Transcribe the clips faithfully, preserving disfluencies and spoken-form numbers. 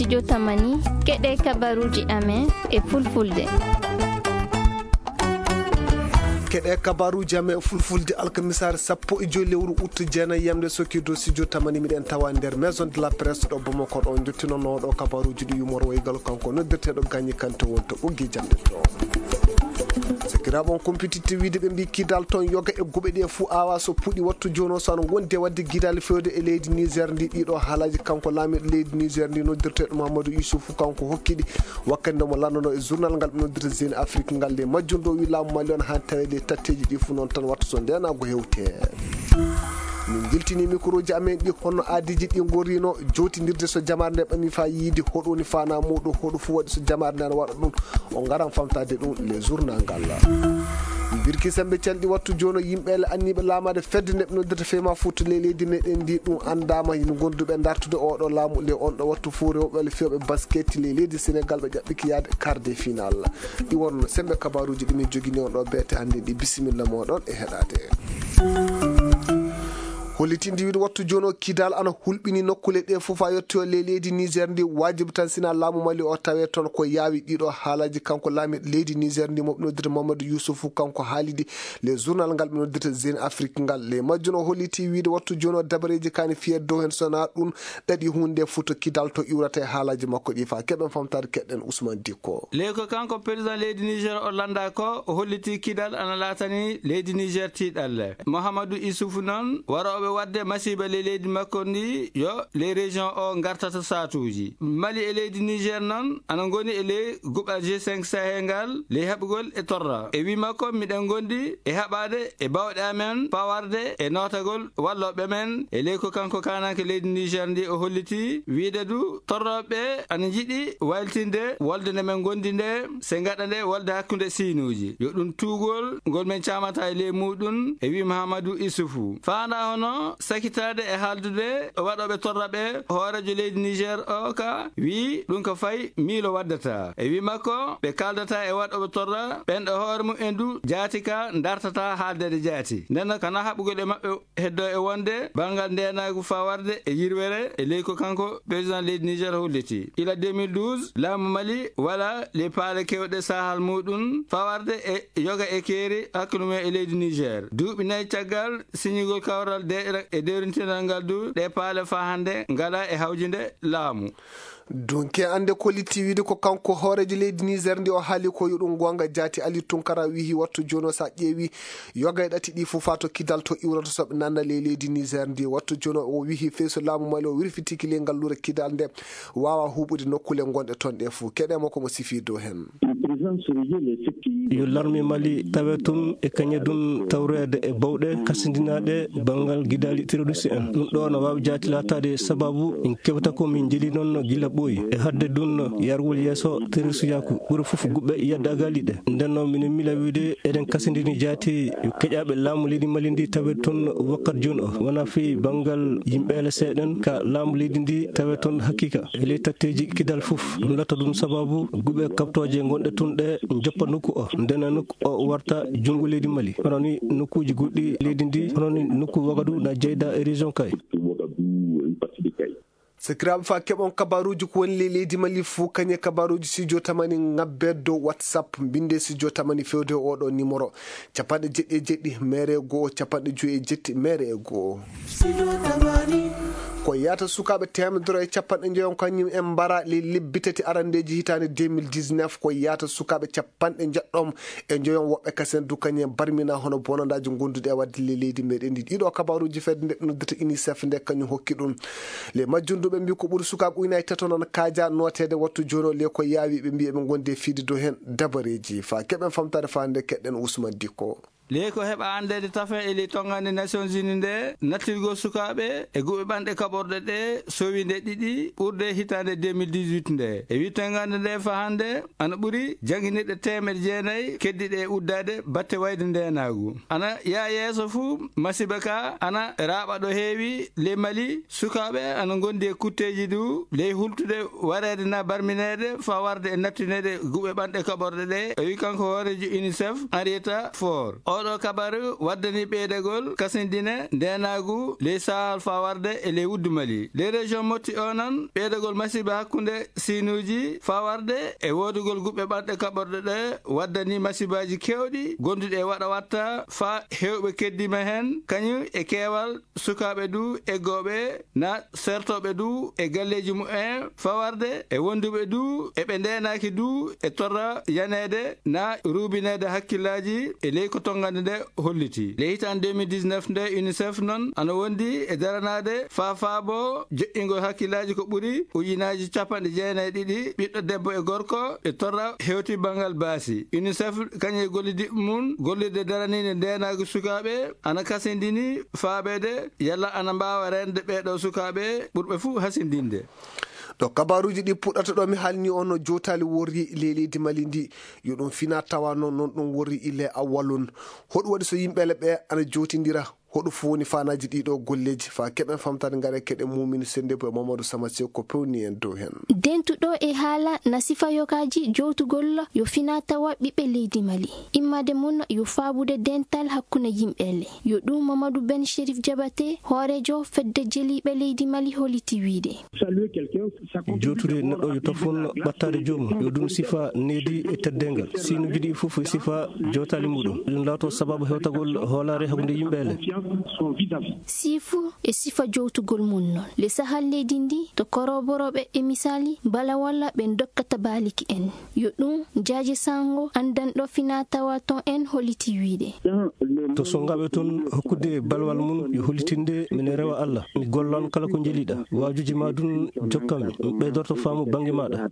Jotamani, keɗee kabaruuji amen e fulfulde. Keɗee kabaruuji amen e fulfulde alkamisaare sappo e joy lewru ut jeenayi yamde sokki dow studio tamani miɗen tawa nder maison de la presse ɗo Bamako ɗo. Njottinooɗo kabaruuji ɗi yumor waygal kanko noddirteeɗo Gagny Kanté wonto ɓoggi jamɗe to. Sakiraaɓe, on kumpititte wiide ɓe mbii kidal toon yoga e guɓe ɗe fuu awa so puɗi wattu jooni o so ana wondi e waɗde gidaali fewde e leydi Niger ndi. Ɗiɗo haalaaji kanko laamiiɗo leydi Niger ndi noddirteeɗo Mahamadou Youssoufou kanko hokki ɗi wakkati nde mo lanndunoo e journal ngal ɓe noddirta Jeune Afrique ngal. Ley majjum ɗo wi laamu Mali on haa taweede e tatteeji ɗi fuu noon tan wattu so ndeenaagu hewtee. Min njiltini mikrooji amen ɗi hono aadiiji ɗi ngorrino jowtindirde so jamaare nde ɓami faa yiide hoɗo woni faanaa muuɗum, hoɗo fuu waɗi so jamaare nde ana waɗa ɗum. O ngaran famtaade ɗum le journal ngal. Birki sembe calɗi wattu jooni o yimɓe le anniiɓe laamaade fedde nde ɓe noddirta fema fuuta le leydi meɗen ndi ɗum anndaama hino gonduɓe dartude oɗo laamu le on ɗo wattu fuu rewɓe le fewɓe basket le leydi Senegal ɓe ƴaɓɓiki yaade quart de final. Ɗi wonno sembe kabaruuji ɗi min jogini on ɗo beete hannde ɗi bisimilla moɗon e heɗaade. Hollitinde wiide wattu jooni o kidal ana hulɓini nokkule ɗe fof haa yettoyo ley leydi Niger ndi. Waajibi tan sina laamu Mali o tawee toon ko yaawi. Ɗiɗo haalaaji kanko laamiiɗo leydi Niger ndi mo ɓe noddirta Mamadou Youssoufou kanko haalidi le journal ngal ɓe noddirta Jeune Afrique ngal. Ley majjum o holliti wiide wattu jooni o dabareeji kaani fiyee dow heen so naa ɗum ɗaɗi huunde fof to kidal to iwrata e haalaaji makko ɗi faa keɓen famtaade keɗɗen Ousmane Dikko. Ley ko kanko président leydi Niger o lannda ko o holliti kidal ana laatani leydi Niger tiiɗalle. Mouhamadou Issoufou noon warooɓe waɗde masiiba ley leydi makko ndi yo ley région o ngartata saatuuji. Mali e leydi Niger noon ana ngoni e ley guɓal G cinq Sahel ngal ley haɓugol e torra. E wii makko miɗen ngondi e haɓaade e bawɗe amen fawarde e nootagol wallooɓe men e ley ko kanko kaananke leydi Niger ndi o holliti wiide du torrooɓe ana njiɗi wayltinde wolde nde men ngondi nde se ngaɗa nde wolde hakkunde siinuuji. Yo ɗum tuugol ngol men caamata e ley muuɗum e wii Mahamadou Issoufou. Faandaa hono sakitaade e haaldude waɗooɓe torra ɓe hooreejo leydi Niger o ka wii ɗum ko fay miilo waddata. E wii makko ɓe kaaldata e waɗooɓe torra ɓen ɗo hoore mum en du jaati ka ndartata haaldeede jaati. Nden noon kana haɓugol e maɓɓe heddo e wonde banngal ndeenaagu fawarde e yirwere e ley ko kanko président leydi Niger holliti. Ila deux mille douze, laamu Mali wala ley paale kewɗe sahal muuɗum fawarde e yoga e keeri hakkunde mum e leydi Niger. Duuɓi nayi caggal siñigol kawral deeƴre e dewrintinal ngal du, ɗe paale faa hannde ngala e hawjinde laamu. Dunke annde ko litti wiide ko kanko hooreejo leydi Niger ndi o haali ko yo ɗum goonga jaati Ali Tunkara wihi wattu jooni o so a ƴeewi yoga e ɗati ɗi fof faa to kidal to iwrata so ɓe nanna ley leydi Niger ndi. Wattu jooni o wihi fey so laamu Mali o wirfitiki ley ngalluure kidal nde waawa huuɓude nokkule ngonɗe toon ɗe fof. Keɗee mo ko mo sifii dow heen. Yo larme Mali tawe tun e kañe dun tawreede e bawɗe kasindinaaɗe banngal gidaali teroriste en. Ɗun ɗoo no waawi jaati laataade sababu en kewta ko min njeli non gila ɓooyi. E hadde dun yarwol yeeso teroristeyaaku ɓuri fof guɓɓe yaddaagali ɗe. Nden non minen mila wiide eɗen kasindini jaati yo keƴaaɓe laamu leydi Mali ndi tawe tun wakkat jooni o. Wonaa fii banngal yimɓe L C ɗen ka laamu leydi ndi tawe tun hakiika. E ley tatteeji kidal fof, ɗum latta ɗum sababu guɓe kaɓtooje gonɗe tun ɗe joppa nokku o, ndena nokku o warta junngo leydi Mali, hono ni nokkuuji goɗɗi leydi ndi, hono ni nokku Wagadu na jeyda e région Kay. Sakiraaɓe, faa keɓon kabaruuji ko woni ley leydi Mali fuu, kañe kabaruuji studio tamani ŋabbee dow WhatsApp, mbinndee studio tamani fewde e oo ɗoo nimoro. Capanɗe jeɗɗi e jeɗɗi, meere e go'o, capanɗe joy e jetti, meere e go'o. Ko yahata sukaaɓe teemedere e capanɗe njoyon kañum en mbara ley lebbi tati arandeeji hitaande deux mille dix-neuf, ko yahata sukaaɓe capanɗe njeɗɗon e njoyon woɓɓe kasen du kañum en barmina hono bonandaaji gonduɗi e waɗde ley leydi meɗen ndi. Ɗiɗo kabaruuji fedde nde ɓe noddata UNICEF nde kañum hokki ɗum. Ley majjum du ɓe mbii ko ɓuri sukaaɓe ujunaaji tato nan kaaja nooteede wattu jooni o ley ko yaawi ɓe mbii eɓe ngondi e fiide dow heen dabareeji. Faa keɓen famtaade faa nde keɗɗen Ousmane Dikko. Ley ko heɓa anndeede tafen e ley tonngande Nations Unies nde, nattirgol sukaaɓe e guɓe ɓanɗe kaɓorɗe ɗe sowi nde ɗiɗi ɓurde hitaande deux mille dix-huit nde. E wii tonngande nde faa hannde ana ɓuri jannginirɗe teemeɗe jeenayi keddiiɗe e uddaade batte wayde ndeenaagu. Ana yaha yeeso fuu masiiba ka ana raaɓa ɗo heewi ley Mali. Sukaaɓe ana ngondi e kutteeji du ley hultude wareede naa barmineede faa warde e nattineede guɓe ɓanɗe kaɓorɗe ɗe, o wii kanko hooreejo UNICEF Henrietta Fore. Oɗo kabaru waddani ɓeydagol kasindine ndeenaagu ley Sahal faa warde e ley wuddu Mali. Ley région Motti o non, ɓeydagol masiiba hakkunde siinuuji faa warde e woodugol guɓɓe ɓanɗe kaɓorɗe ɗe waddani masiibaaji keewɗi gonduɗi e waɗa watta faa heewɓe keddiima heen, kañum e keewal sukaaɓe du eggooɓe, na sertooɓe du e galleeji mumen faa warde e wonduɓe du e ɓe ndeenaaki du e torra yaneede na ruubineede hakkillaaji e ley ko tonngande nde holliti. Ley hitaande deux mille dix-neuf nde, UNICEF non ana wondi e daranaade faa faabo joƴƴingol hakkillaaji ko ɓuri ujunaaji capanɗe jeenayi e ɗiɗi ɓiɗɗo debbo e gorko e torra hewti banngal baasi. UNICEF kañum e gollidiiɓe mum gollirde daraniinde ndeenaagu sukaaɓe ana kasindini faabeede yalla ana mbaawa reende ɓee ɗoo sukaaɓe ɓurɓe fuu hasindinde. Ɗo kabaaruuji ɗi puɗɗata ɗo mi haalni on no jootali worri ley leydi Mali ndi, yo ɗum fina tawa noon, noon ɗum worri ile awwalun. Hoɗum waɗi so yimɓe le ɓe ana jootindira? Hoɗum fof woni faanaaji ɗii ɗoo golleeji? Faa keɓen famtaade, ngare keɗen muumini sennde bo e Mamadou Sama Seeku ko pewni en dow heen. Dentuɗo e haala na sifa yogaaji jowtugol yo fina tawa ɓiɓɓe leydi Mali. Immaade mum yo faabude dental hakkunde yimɓe le. Yo ɗum Mamadou Ben Chérif Diabaté, hooreejo fedde jeliiɓe leydi Mali holliti wiyde. Jootude neɗɗo yo tafon ɓattaade joomum, yo ɗum sifa needi e teddeengal. Siinuuji ɗii fof e sifa jootaali muɗum. Ɗum laato sababu hewtagol hoolaare hakkunde yimɓe le. Siifu e sifa jowtugol mum noon. Le Sahal leydi ndi to koroborooɓe e misaali bala walla ɓe dokkata baaliki en. Yo ɗum Jaaje Sango, anndanɗo fina tawa toon en holliti wiyde. To sonngaɓe toon hokkude balwal mum, yo hollitinde mine rewa Alla. Mi gollan kala ko njeliɗa. Waajuji ma dun jokkanmi. Mi ɓeydorto faamu bannge maɗa.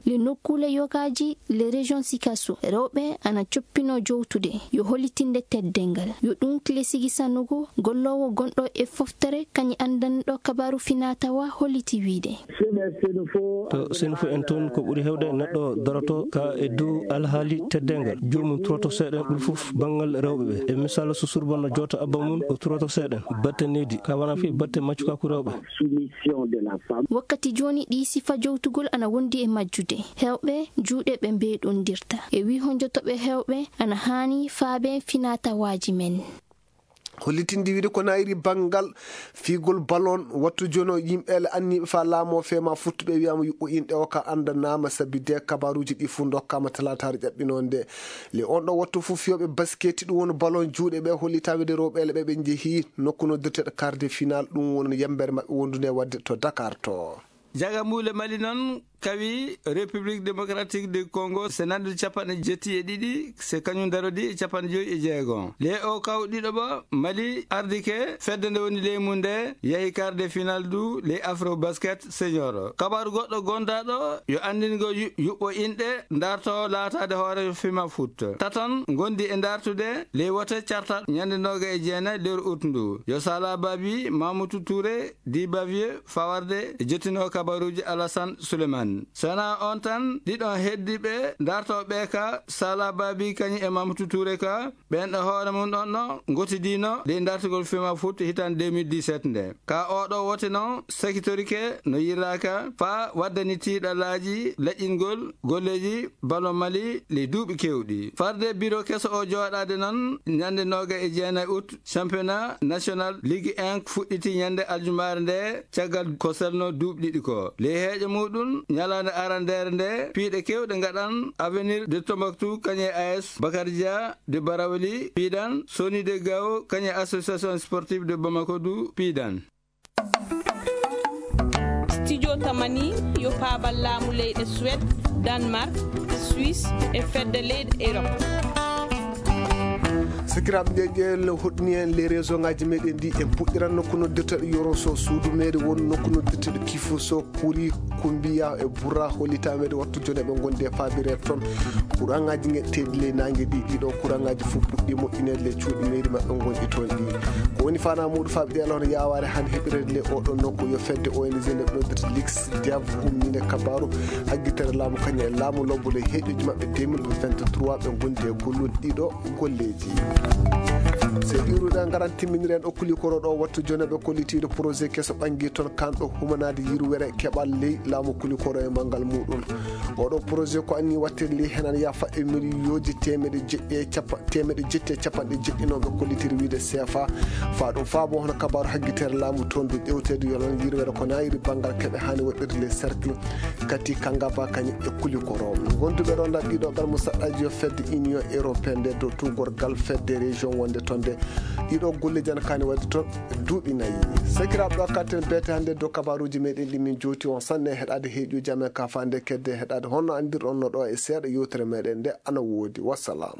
Le nokkuule yogaaji, le région Sikasso, rewɓe ana coppinoo jowtude. Yo hollitinde teddeengal. Yo ɗum Clé Sigi Sanogo, golloowo gonɗo e foftere, kañum anndanɗo kabaaru fina tawa holliti wiyde. To Senufo en toon ko ɓuri heewde neɗɗo doroto ka e dow alhaali teddeengal. Joomum turoto seeɗa ɓuri fof banngal rewɓe ɓe. E misal so surba no joota abba mum, o turoto seeɗa. Batte needi, ka wona fii batte maccukaaku rewɓe. Wakkati jooni ɗii sifa jowtugol ana wondi e majjude. Heewɓe juuɗe ɓe mbeeɗondirta. E wii honjotoɓe heewɓe ana haani faabe fina tawaaji men. Hollitinde wiide ko naayiri banngal fiigol balon, wattu jono yimɓe le anniiɓe faa laamoo fema futtuɓe wiyaama yuɓɓo inɗe o ka anndanaama sabi de kabaaruuji ɗi fuu ndokkaama talaataare ƴaɓɓinoo nde. Le on ɗo wattu fuu fiyooɓe basketi ɗum woni balon juuɗe ɓe hollitaama de rewɓe le ɓe ɓe njehii nokku noddirteeɗo quart de finale, ɗum woni yambere maɓɓe wondunde waɗde to Dakar to. Jagamuule Mali non kawi République Démocratique du Congo, se nandude capanɗe jetti e ɗiɗi, se kañum darodi e capanɗe joyi e jeego. Ley o kaw ɗiɗo ba Mali ardike fedde nde woni ley mum nde yahi quart de finale du ley Afro Basket Senior. Kabaaru goɗɗo gondaaɗo yo anndingo yu-, yuɓɓo inɗe ndarto laataade hoore fima foot. Taton ngondi e ndartude ley wote carta ñande nooga e jeenayi lewru ut ndu. Yo Sala Babi, Mamoudou Touré, Di Bavier, fawarde e jottinoo kabaruuji Alassane Souleymane. Sana on tan, ɗiɗon heddiiɓe dartooɓe ka Sala Babi kañum e Mamoudou Touré ka, ɓen ɗo hoore mum ɗon no ngotidiino ley dartugol fima foot hitaande deux mille dix-sept nde. Ka oɗo wote non sakitorike no yirraaka faa waddani tiiɗalaaji laƴƴingol golleeji ballon Mali ley duuɓi keewɗi. Farde biro keso o jooɗaade non ñande nooga e jeenayi ut, championnat national Ligue un fuɗɗiti ñande aljumaare nde, caggal ko selno duuɓi ɗiɗi ko. Ley heeƴe muɗum, ñalaande arandeere nde, piiɗe keewɗe ngaɗan Avenir de Tombouctou kañum e A S Bakar Dia de Barawli piidan, Soni de Gao kañum e Association Sportive de Bamako du piidan. Studio Tamani yo paabal laamu leyɗe Suède, Danemark, Suisse e fedde leyɗe Europe. Sakiraaɓe, nde ƴeewle hoɗni en les réseau ngaji meɗen ɗi, en puɗɗiran nokku noddirteɗo Yoro so suudu meeri won nokku noddirteɗo Kifu so Kuri Kumbiya e Bura hollitaama e wattu jone ɓe ngondi e faabire toon. Kuraŋaaji ngeɗteeɗi ley naange ɗi, ɗiɗo kuraŋaaji fof puɗɗii moƴƴineede ley cuuɗi meeri maɓɓe ngonɗi toon ɗi. Ko woni faanaa muuɗum faabiɗe alon yaawaare hannde heɓireede ley oɗo nokku yo fedde O N G nde ɓe noddirta Lix Diav umminde kabaaru haggitere laamu kañum e laamu lobbo ley heeƴooji maɓɓe deux mille vingt-trois ɓe ngondi e gollude ɗiɗo golleeji. Seydi Iwruɗe ngaran timminiren o Kulikoro ɗo wattu jonooɓe kollitiiɗo projet keso ɓangi toon kanɗo humanaade yirwere keɓal ley laamu Kulikoro e manngal muuɗum. Oɗo projet ko anni waɗtirde ley henan yaafa e miliyooji teemeɗe jeɗɗi e cappa-, teemeɗe jeɗɗi e cappanɗe jeɗɗi no ɓe kollitiri wiide C F A. Faa ɗum faabo hono kabaaru haggitere laamu toon du ƴewteede yolon yirwere ko naayiri banngal keɓe haani waɗirde ley cercle Kati Kangaba kañum e Kulikoro. Gonduɓe ɗo nder ɗiɗo gal musaɗɗaaji yo fedde Union Européenne nde dow tuugorgal fedde région wonde toon nde. Ɗiɗo golle jana kaani waɗde toon duuɓi nayi. Sakiraaɓe ɗo katten beete hannde dow kabaaruuji meɗen ɗi min jooti on sanne heɗaade heeƴuuji amen ka faande kedde heɗaade honno anndirɗon no ɗo e seeɗa yewtere meɗen nde ana woodi. Wassalam.